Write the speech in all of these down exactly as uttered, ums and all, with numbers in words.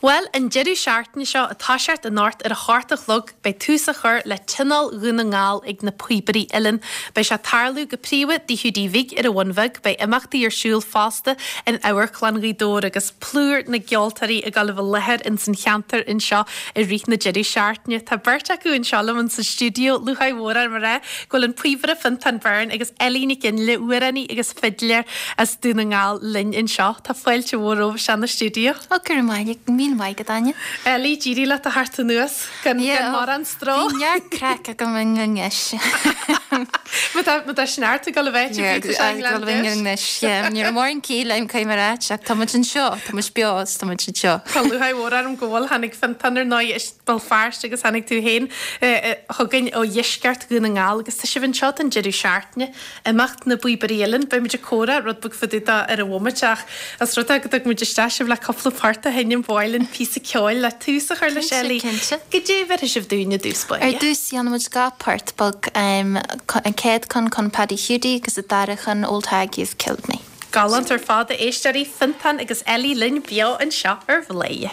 Bhuel, an deireadh seachtaine seo ag toiseacht anocht ar a hocht a chlog, beidh tús á chur le Tionól Dhún na nGall ag na Píobairí Uilleann. Beidh sé ag tarlú go príomha i dTigh Hiúdaí Bhig ar an Bhun Bheag. Beidh imeachtaí ar siúl fosta in Amharclann Ghaoth Dobhair agus plúr na gceoltóirí ag dul a bheith i láthair ins an cheantar anseo i rith na deireadh seachtaine. Tá beirt acu anseo liom insa stiúideo, lúcháir mhór orm a rá go bhfuil an píobaire Fiontán Byrne agus Ellie Nic Fhionnghaile, amhránaí agus fidléir as Dún na nGall linn anseo. Tá fáilte mhór romhaibh isteach na stiúideo. Ó, go raibh maith míle maith agat, Áine. Ellie, d'éirigh leat a theacht anuas gan gan mórán stró. Bhí neart craic agam i nGleann Má tá má tá sneart ag dul a bheith ag anois. Ní raibh mórán ciall agam caithfidh mé a ráit ach tá muid anseo, tá muid beo is tá muid anseo. Tá lúcháir mhór orm go bhfuil tháinig Fiontán ar ndóigh as Béal Feirste agus tháinig tú féin chugainn ó dheisceart Dhún na nGall agus tá sibh anseo don deireadh seachtaine. Imeacht na bPíobairí Uilleann, beidh muid ag comhrá rud beag fá dtaobh de ar an bhomaite ach os rud é go dtug muid isteach sibh le cúpla port a sheinm ba mhaith linn píosa ceoil le tús a chur leis Ellie. Cinnte. Goidé a bheirfidh sibh dúinn i dtús báire? Ar dtús dhéanfaidh muid dhá port beag, an chéad cheann chun Paddy Hiúdaí agus an dara chun Old Hag You've Killed Me. Galánta ar fad a éisteoirí, Fiontán agus Ellie linn beo anseo ar Bhladhaire.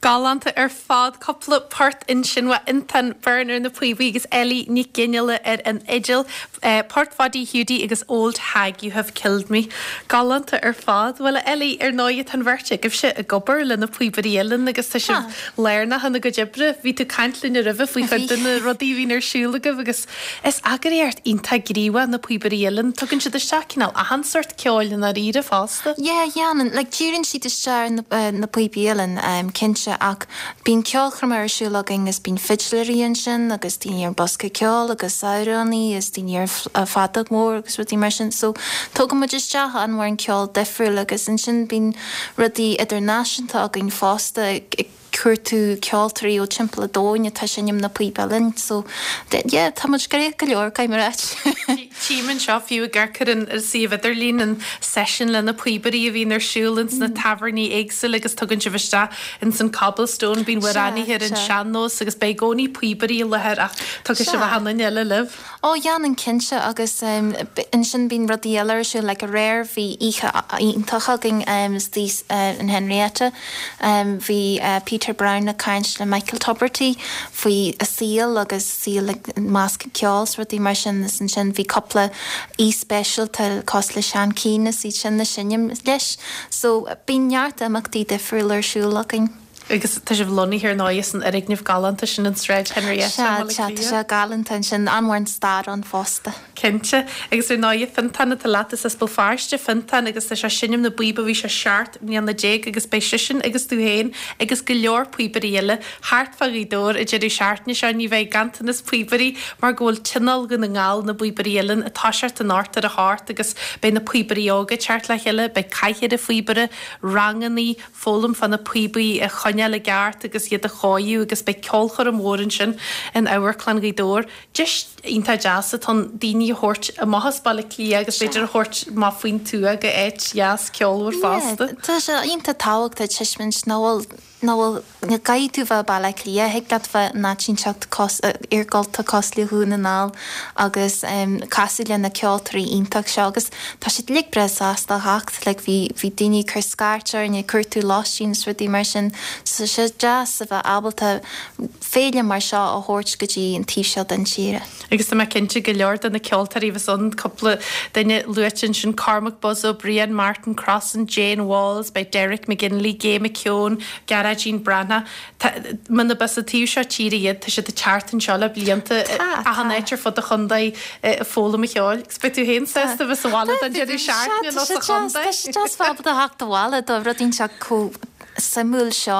Galánta ar fad cúpla port ansin uaidh Fiontán Byrne ar na píobaí agus Ellie Nic Fhionnghaile ar an fhidil, Port Pháidí Hiúdaí agus Old Hag You Have Killed Me. Galánta ar fad. Bhuel a Ellie, ar ndóigh tá an bheirt agaibhse ag obair le na Píobairí Uilleann agus tá sibh lárnach ina gcuid oibre. Bhí tú ag caint linn roimhe faoi chuid de na rudaí a bhíonn ar siúl agaibh agus is eagraíocht iontach gníomhach na Píobairí Uilleann. Tugann siad isteach cineál achan sórt ceoil i ndáiríre fosta. Yeah, dhéanann. Like, díríonn siad isteach ar na, na píobaí uilleann, um, cinnte, ach bíonn ceolchoirm ar siúl againn agus bíonn fidléirí ansin agus daoine ar bosca ceoil agus amhránaí agus daoine ar feadóg mór agus rudaí mar sin. So, tugann muid isteach an-mhór an ceol difriúil agus ansin bíonn rudaí idirnáisiúnta againn fosta, cuartú ceoltóirí ó timpeall an domhain atá ag seinm na píob uilleann so yeah tá muid gnoitheach go leor caithfidh mé a ráit. Tchím anseo fiú ag amharc ar an suíomh idirlín an seisiún le na píobairí a bhíonn ar siúl ins na tábhairní éagsúla agus tugann sibh isteach ins an Cobblestone bíonn amhránaithe ar an sean-nós agus beidh i gcónaí píobairí i láthair ach tugann sibh achan duine eile libh. Ó dhéanann cinnte agus ansin bíonn rudaí eile ar siúl like aréir bhí oíche iontach againn istigh in Henrietta. Bhí Peter Brown ag caint le Michael Tubridy faoi a saol agus saol i measc an ceoil is rudaí mar sin is ansin bhí cúpla aoi speisialta cosúil le Seán Keane is iad sin ag seinm leis. So bíonn neart imeachtaí difriúla ar siúl againn. Agus tá sibh lonnaithe ar ndóigh san fhoirgneamh galánta sin in Sráid Henrietta Sea, sea, tá sé galánta ansin, an-mhór an stair ann fosta. Cinnte. Agus ar ndóigh, Fiontán atá leat, is as Béal Feirste Fiontán agus tá sé ag seinm na bpíob ó bhí sé seacht mbliana déag agus beidh seisean agus tú féin agus go leor píobairí eile thart fá Ghaoth Dobhair an deireadh seachtaine seo. Ní bheidh ganntanas píobairí mar go bhfuil Tionól Dhún na nGall na bPíobairí Uilleann ag toiseacht anocht ar a hocht agus beidh na píobairí óga ag teacht le chéile, beidh cathaoir an phíobaire, rangannaí, foghlaim fá na píobaí a choinneáil i gceart agus iad a chóiriú agus beidh ceolchoirm mhór ansin in Amharclann Ghaoth Dobhair. Deis iontach deas atá ann daoine a thabhairt amach as Baile Átha Cliath agus b'fhéidir a thabhairt amach faoin tuath go áit dheas ceolmhar fosta. Tá sé iontach tábhachtach tuiscint nach bhfuil nach bhfuil ní gcaithfidh tú bheith i Baile Átha Cliath, thig leat bheith in áit inteacht iargúlta cosúil le Dhún na nGall agus casadh le na ceoltóirí iontach seo agus tá siad uilig breá sásta a theacht, like bhí bhí daoine ag cur scairt orainn ag cuartú lóistín is rudaí mar sin so tá sé deas a bheith ábalta féile mar seo a thabhairt go dtí an taobh seo den tíre. Agus tá mé cinnte go leor de na ceoltóirí a bheas ann, cúpla duine luaite ansin, Cormac Buzz Ó Briain, Martin Crossan, Jane Walls, beidh Derek McGinley, Gay McKeown, Gearóidín Breathnach. Muna b'as an taobh seo tíre iad, tá siad ag teacht anseo le blianta, achan áit ar fud an chontae ag foghlaim an cheoil. Agus beidh tú féin sásta a bheith sa bhaile don deireadh seachtaine nó sa chontae. Tá sé deas bheith ábalta theacht abhaile do rud inteacht chomh suimiúil seo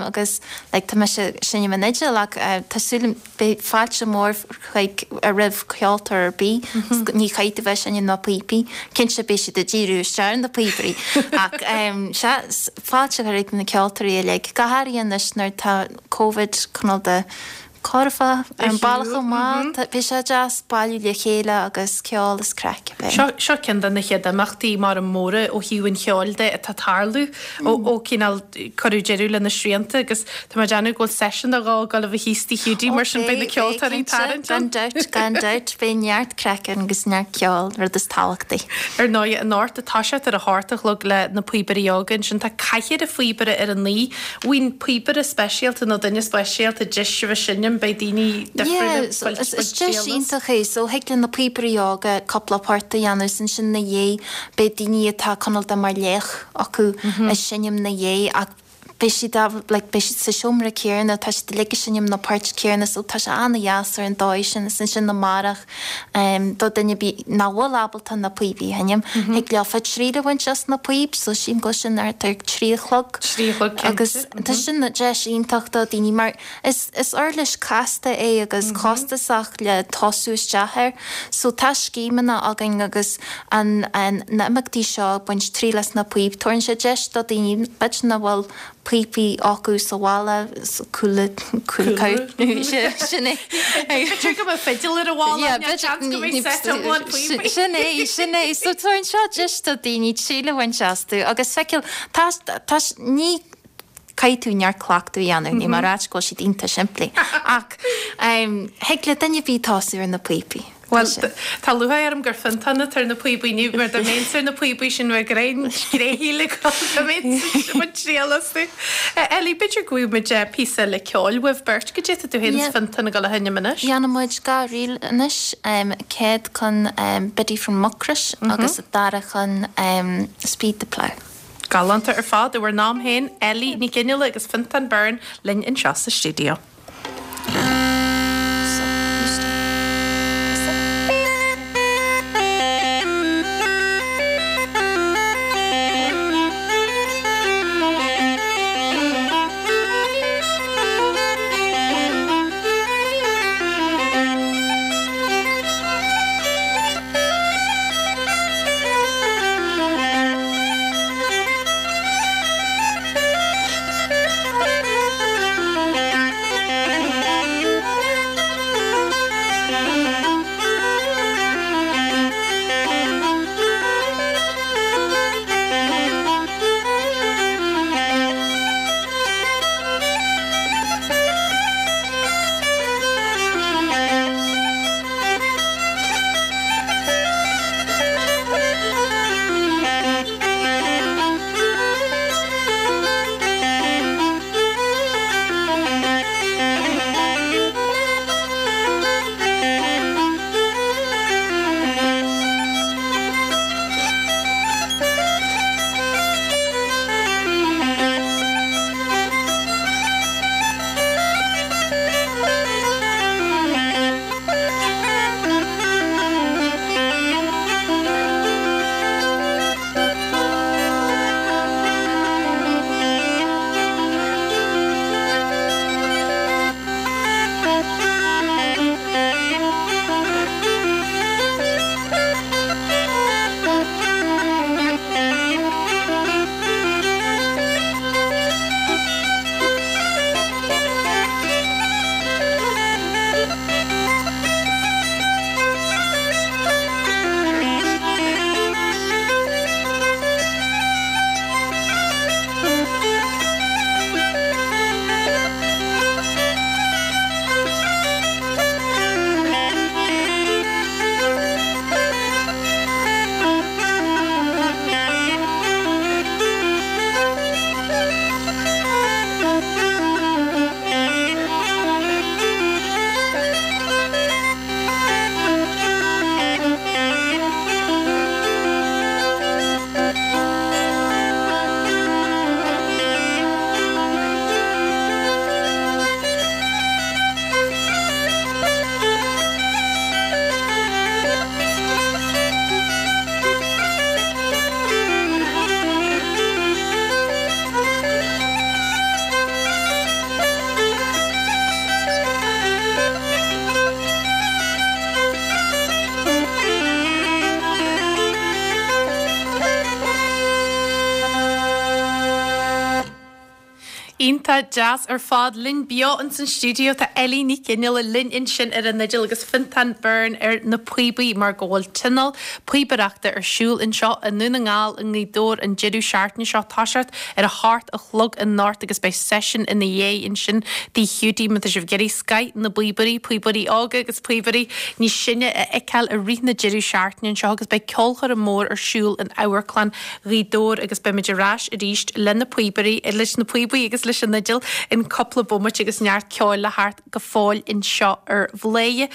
agus like tá mise ag seinm an fhidil ach tá súil beidh fáilte mór chuig roimh ceoltóir ar bith ní chaithfidh tú bheith ag seinm na píopaí cinnte beidh siad ag díriú isteach ar na píobairí ach sea fáilte chuig na ceoltóirí uilig go háirithe anois nuair atá Covid cineál de curtha ar an bealach chomh maith. Bhí sé deas bailiú le chéile agus ceol is craic a bheith. Seo seo ceann de na chéad imeachtaí mar móra ó thaobh an cheoil de atá ag tarlú ó ó cineál cuireadh deireadh le na srianta agus tá mé ag déanamh go bhfuil seisiún nó dhó ag dul a bheith thíos Tigh Hiúdaí mar sin beidh na ceoltóirí ag tarraingt ann. Gan dabht, gan dabht, beidh neart craic ann agus neart ceoil, rud is tábhachtaí. Ar ndóigh, anocht ag toiseacht ar a hocht a chlog le na píobairí óga ansin tá cathaoir an phíobaire ar a naoi. Bhfuil píobaire speisialta nó duine speisialta deis a bheith seinm beidh daoine difriúla Yeah, so is is deis iontach é. So thig le na píobairí óga cúpla port a dhéanamh is ansin 'na dhiaidh beidh daoine atá cineál de mar laoch acu ag seinm 'na dhiaidh ach beidh siad á like beidh siad sa seomra céanna tá siad uilig ag seinm na poirt céanna so tá sé an-dheas ar an dóigh sin is ansin amárach do duine ar bith nach bhfuil ábalta na píobaí a sheinm thig leofa triail a bhaint as na píob so sílim go bhfuil sin thart ar trí a chlog. Trí a chlog cinnte. Agus tá sin deis iontach do daoine mar is is uirlis casta é agus costasach le tosú isteach air so tá scéimeanna againn agus an an na imeachtaí seo ag baint triail as na píob tabharann sé deis do daoine b'fhéidir nach bhfuil píopaí acu sa bhaile cúla cúla sin é. B'fhéidir go mbeidh fidil ar an bhalla yeah, seans go mbeidh set iomlán píopaí. Sin é sin é so tabharann seo deis do daoine triail a bhaint astu agus feiceáil tá tá ní caithfidh tú neart cleachtadh a dhéanamh níl mé ag ráit go bhfuil siad iontach simplí ach thig le duine ar bith tosú ar na píopaí. Bhuel, tá lúcháir orm gur Fiontán atá ar na píobaí inniu, mar dá mbeinnse ar na píobaí sin bheadh greim gréithíle agam dá mbeinnse ag baint triail astu. Ellie, b'fhéidir go bhfaighidh muid píosa eile ceoil uaibh beirt, goidé atá tú féin is Fiontán ag dul a sheinm anois? Déanfaidh muid dhá ríl anois, céad ceann Biddy from Mucrois agus an dara ceann Speed the Plough. Galánta ar fad, i bhur n-am féin, Ellie Ní Ghionnaola agus Fiontán Byrne linn anseo sa stiúideo. Iontach deas ar fad linn beo in san stiúideo tá Ellie Ní Chineála linn ansin ar an fhidil agus Fintán Byrne ar na píobaí mar go bhfuil tionól píobaireachta ar siúl anseo i nDún na nGall i nGaoth Dobhair an deireadh seachtaine seo toiseacht ar a hocht a chlog anocht agus beidh seisiún ina dhiaidh ansin Tigh Hiúdaí má tá sibh ag iarraidh scoth na bpíobairí, píobairí óga agus píobairí níos sine a fheiceáil i rith na deireadh seachtaine anseo agus beidh ceolchoirm mór ar siúl in Amharclann Ghaoth Dobhair agus beimid ar ais arís le na píobairí leis na píobaí agus leis an fhidil in cúpla bomaite agus neart ceoil le theacht go fóill anseo ar Bhladhaire.